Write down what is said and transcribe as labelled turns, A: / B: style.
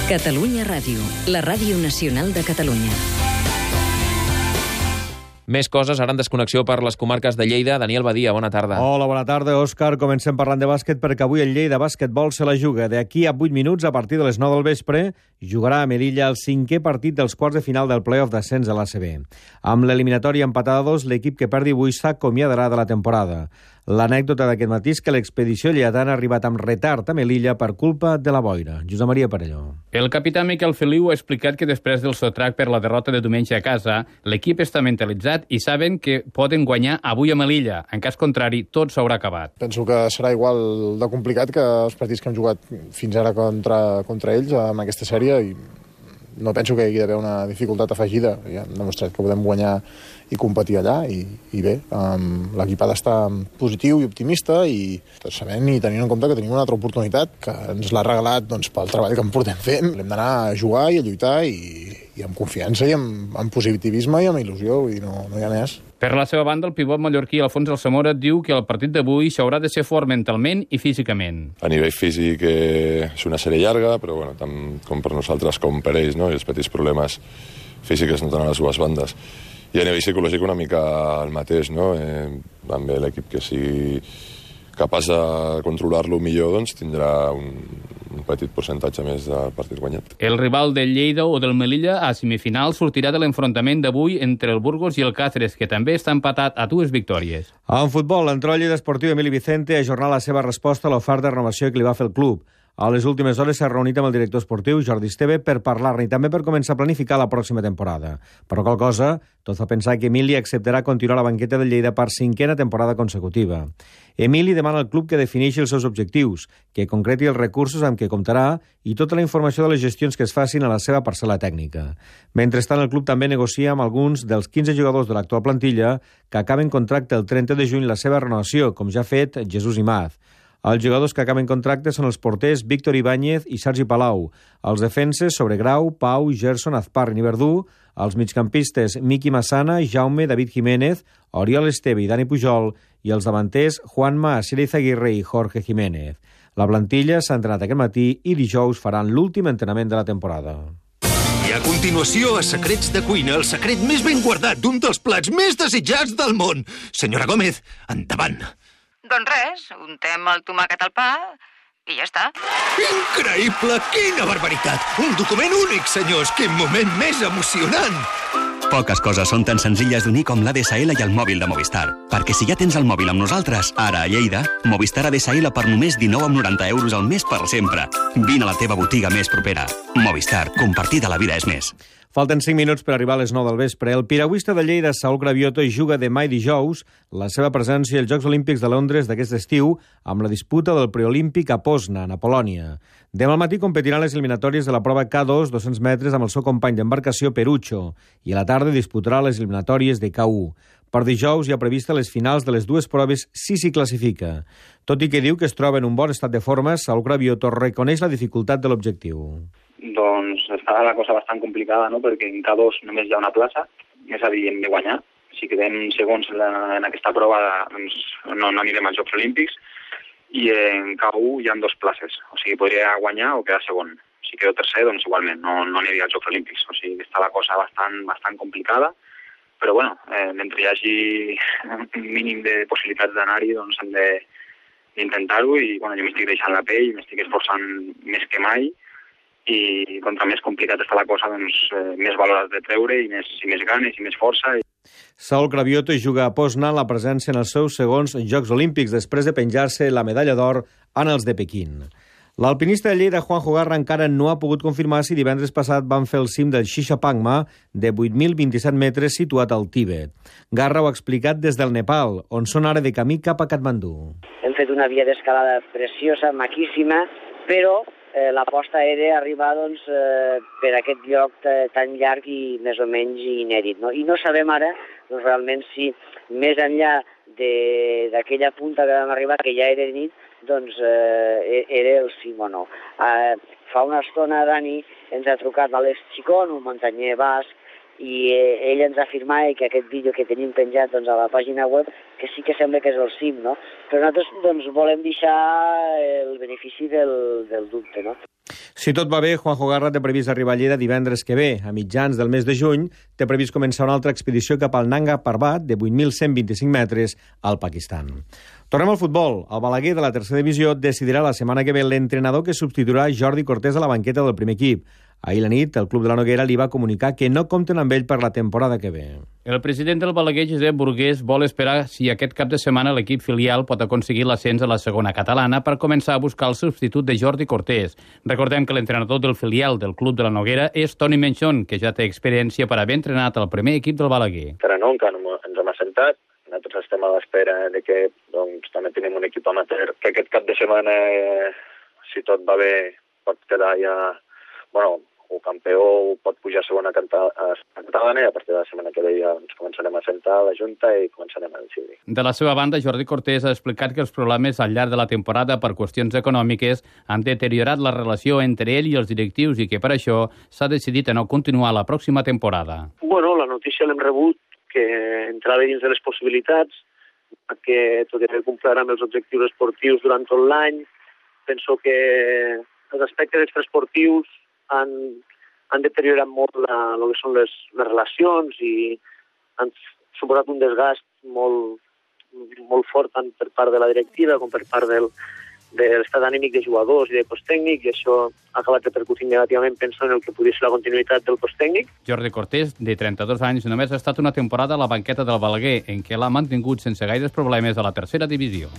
A: Catalunya Ràdio, la ràdio nacional de Catalunya.
B: Més coses, ara en desconnexió per les comarques de Lleida. Daniel Badia, bona tarda.
C: Hola, bona tarda, Òscar. Comencem parlant de bàsquet perquè avui el Lleida Bàsquetbol se la juga. D'aquí a 8 minuts, a partir de les 9 del vespre, jugarà a Melilla el 5è partit dels quarts de final del play-off d'ascens a l'ACB. Amb l'eliminatòria empatada a 2, l'equip que perdi avui s'acomiadarà de la temporada. L'anècdota d'aquest matí és que l'expedició lleidatana ha arribat amb retard a Melilla per culpa de la boira. Josep Maria Parelló.
D: El capità Miquel Feliu ha explicat que després del sotrac per la derrota de diumenge a casa, l'equip està mentalitzat i saben que poden guanyar avui a Melilla. En cas contrari, tot s'haurà acabat.
E: Penso que serà igual de complicat que els partits que hem jugat fins ara contra ells en aquesta sèrie i no penso que hi hagi d'haver una dificultat afegida. Ja hem demostrat que podem guanyar i competir allà i bé, l'equip ha d'estar positiu i optimista i sabent i tenint en compte que tenim una altra oportunitat que ens l'ha regalat pel treball que en portem fent. Hem d'anar a jugar i a lluitar i amb confiança i amb positivisme i amb il·lusió, vull dir, no hi ha més.
D: Per la seva banda, el pivot mallorquí Alfons Alsamora diu que el partit d'avui s'haurà de ser fort mentalment i físicament.
F: A nivell físic és una sèrie llarga, però bueno, tant com per nosaltres com per ells, no? I els petits problemes físics no tenen a les dues bandes. I a nivell psicològic una mica el mateix, no? També l'equip que sigui capaç de controlar-lo millor doncs tindrà un petit percentatge més del partit guanyat.
D: El rival del Lleida o del Melilla a semifinal sortirà de l'enfrontament d'avui entre el Burgos i el Cáceres, que també està empatat a 2 victòries.
C: En futbol, l'entró Lleida Esportiu Emili Vicente ha ajornat la seva resposta a l'oferta de renovació que li va fer el club. A les últimes hores s'ha reunit amb el director esportiu, Jordi Esteve, per parlar-ne i també per començar a planificar la pròxima temporada. Però qual cosa, tot fa pensar que Emili acceptarà continuar a la banqueta del Lleida per 5a temporada consecutiva. Emili demana al club que defineixi els seus objectius, que concreti els recursos amb què comptarà i tota la informació de les gestions que es facin a la seva parcel·la tècnica. Mentrestant, el club també negocia amb alguns dels 15 jugadors de l'actual plantilla que acaben contracte el 30 de juny la seva renovació, com ja ha fet Jesús Imaz. Els jugadors que acaben contracte són els porters Víctor Ibáñez i Sergi Palau, els defenses Sobregrau, Pau, Gerson, Azparri i Verdú, els migcampistes Miqui Massana, Jaume, David Jiménez, Oriol Esteve i Dani Pujol, i els davanters Juanma, Asier Izaguirre i Jorge Jiménez. La plantilla s'ha entrenat aquest matí i dijous faran l'últim entrenament de la temporada.
G: I a continuació, a Secrets de Cuina, el secret més ben guardat d'un dels plats més desitjats del món. Senyora Gómez, endavant.
H: Doncs res, untem el tomàquet al pa i ja està.
G: Increïble! Quina barbaritat! Un document únic, senyors! Quin moment més emocionant!
I: Poques coses són tan senzilles d'unir com l'ADSL i el mòbil de Movistar. Perquè si ja tens el mòbil amb nosaltres, ara a Lleida, Movistar ADSL per només 19,90 € al mes per sempre. Vine a la teva botiga més propera. Movistar, compartida la vida és més.
C: Falten 5 minuts per arribar a les 9 del vespre. El piragüista de Lleida, Saúl Cravioto, juga demà i dijous la seva presència als Jocs Olímpics de Londres d'aquest estiu amb la disputa del preolímpic a Poznan, a Polònia. Demà al matí competiran les eliminatòries de la prova K2, 200 metres, amb el seu company d'embarcació Perucho, i a la tarda disputarà les eliminatòries de K1. Per dijous hi ha prevista les finals de les dues proves si s'hi classifica. Tot i que diu que es troba en un bon estat de forma, Saúl Cravioto reconeix la dificultat de l'objectiu.
J: Doncs està la cosa bastant complicada, no? Perquè en K2 només hi ha una plaça, és a dir, hem de guanyar. Si quedem segons en aquesta prova, doncs no anirem als Jocs Olímpics, i en K1 hi ha 2 places, o sigui, podria guanyar o quedar segon. Si quedo tercer, doncs igualment, no aniria als Jocs Olímpics, o sigui, està la cosa bastant complicada, però bueno, mentre hi hagi un mínim de possibilitats d'anar-hi, doncs hem d'intentar-ho, i bueno, jo m'estic deixant la pell, m'estic esforçant més que mai, i contra més complicat està la cosa, doncs més valor has de treure i més ganes i més força.
C: Saúl Cravioto juga a Poznan la presència en els seus segons Jocs Olímpics després de penjar-se la medalla d'or en els de Pequín. L'alpinista de Lleida, Juanjo Garra, encara no ha pogut confirmar si divendres passat van fer el cim del Shishapangma de 8.027 metres situat al Tíbet. Garra ho ha explicat des del Nepal, on són ara de camí cap a Katmandú.
K: Hem fet una via d'escalada preciosa, maquíssima, però l'aposta era arribar doncs, per aquest lloc tan llarg i més o menys inèdit. No? I no sabem ara doncs, realment si més enllà d'aquella punta que vam arribar, que ja era nit, doncs era el cim o no. Fa una estona Dani ens ha trucat l'Àlex Chicón, un muntanyer basc, i ell ens afirmava que aquest vídeo que tenim penjat doncs, a la pàgina web que sí que sembla que és el cim, no? Però nosaltres doncs, volem deixar el benefici del dubte, no?
C: Si tot va bé, Juanjo Garra té previst arribar a Lleida divendres que ve. A mitjans del mes de juny té previst començar una altra expedició cap al Nanga Parbat, de 8.125 metres, al Pakistan. Tornem al futbol. El Balaguer de la tercera divisió decidirà la setmana que ve l'entrenador que substituirà Jordi Cortés a la banqueta del primer equip. Ahir la nit, el club de la Noguera li va comunicar que no compten amb ell per la temporada que ve.
D: El president del Balaguer, Josep Burgués, vol esperar si aquest cap de setmana l'equip filial pot aconseguir l'ascens a la segona catalana per començar a buscar el substitut de Jordi Cortés. Recordem que l'entrenador del filial del club de la Noguera és Toni Menchon, que ja té experiència per haver entrenat el primer equip del Balaguer.
L: Encara no ens hem assentat. Nosaltres estem a l'espera de que també tenim un equip amateur que aquest cap de setmana, si tot va bé, pot quedar ja, o campió o pot pujar a segona catalana, i a partir de la setmana que ve ja ens començarem a sentar a la Junta i començarem a decidir.
D: De la seva banda, Jordi Cortés ha explicat que els problemes al llarg de la temporada per qüestions econòmiques han deteriorat la relació entre ell i els directius i que per això s'ha decidit a no continuar la pròxima temporada.
M: La notícia l'hem rebut que entrava dins de les possibilitats, que tot i haver complert amb els objectius esportius durant tot l'any. Penso que els aspectes extraesportius han deteriorat molt el que són les relacions i han suposat un desgast molt fort tant per part de la directiva com per part de l'estat anímic de jugadors i de cos tècnic, i això ha acabat repercutint negativament, penso, en el que podria ser la continuïtat del cos tècnic.
D: Jordi Cortés, de 32 anys, només ha estat una temporada a la banqueta del Balaguer, en què l'ha mantingut sense gaires problemes a la tercera divisió.